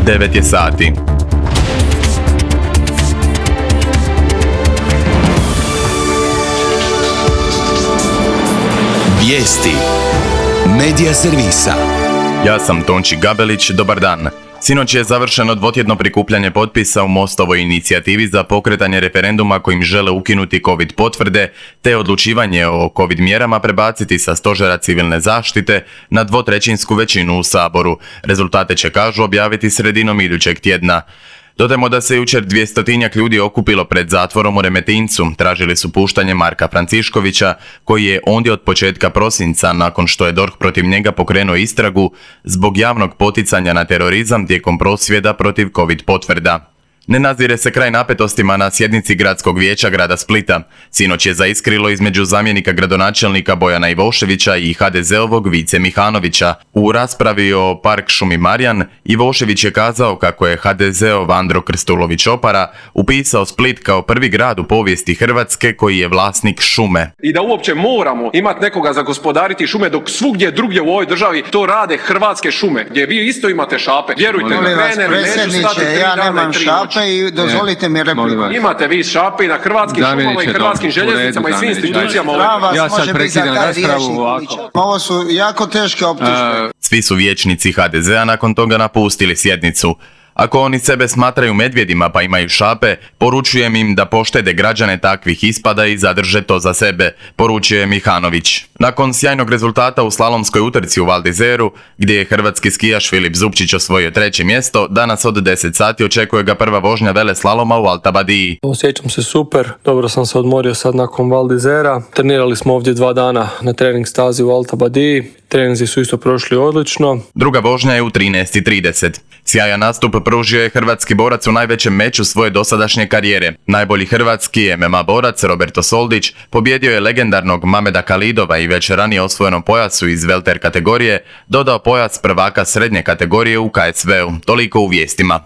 9 je sati. Vijesti Medija servisa. Ja sam Tonči Gabelić, dobar dan. Sinoć je završeno dvotjedno prikupljanje potpisa u Mostovoj inicijativi za pokretanje referenduma kojim žele ukinuti COVID potvrde te odlučivanje o COVID mjerama prebaciti sa stožera civilne zaštite na dvotrećinsku većinu u Saboru. Rezultate će, kažu, objaviti sredinom idućeg tjedna. Dodajmo da se jučer 200-tinjak ljudi okupilo pred zatvorom u Remetincu. Tražili su puštanje Marka Franciškovića, koji je ondje od početka prosinca, nakon što je DORH protiv njega pokrenuo istragu zbog javnog poticanja na terorizam tijekom prosvjeda protiv COVID potvrda. Ne nazire se kraj napetostima na sjednici Gradskog vijeća grada Splita. Sinoć je zaiskrilo između zamjenika gradonačelnika Bojana Ivoševića i HDZ-ovog Vice Mihanovića. U raspravi o Park šumi Marjan, Ivošević je kazao kako je HDZ-ov Andro Krstulović Opara upisao Split kao prvi grad u povijesti Hrvatske koji je vlasnik šume. I da uopće moramo imati nekoga za gospodariti šume, dok svugdje drugdje u ovoj državi to rade Hrvatske šume, gdje vi isto imate šape. Vjerujte mi, ja nemam šape i dozvolite mi repliku. Imate vi šape i na hrvatskim šumama i hrvatskim željeznicama i svim institucijama. Ja sad prekidam raspravu ovako. Ovo su jako teške optužbe. Svi su vijećnici HDZ-a nakon toga napustili sjednicu. Ako oni sebe smatraju medvjedima pa imaju šape, poručujem im da poštede građane takvih ispada i zadrže to za sebe, poručuje Mihanović. Nakon sjajnog rezultata u slalomskoj utrci u Val d'Izeru, gdje je hrvatski skijaš Filip Zupčić osvojio 3. mjesto, danas od 10 sati očekuje ga prva vožnja veleslaloma u Alta Badiji. Osjećam se super, dobro sam se odmorio sad nakon Val d'Izera. Trenirali smo ovdje 2 dana na trening stazi u Alta Badiji. Treninzi su isto prošli odlično. Druga vožnja je u 13:30. Sjajan nastup pružio je hrvatski borac u najvećem meču svoje dosadašnje karijere. Najbolji hrvatski MMA borac Roberto Soldić pobjedio je legendarnog Mameda Kalidova i već ranije osvojenom pojasu iz welter kategorije dodao pojas prvaka srednje kategorije u KSV-u. Toliko u vijestima.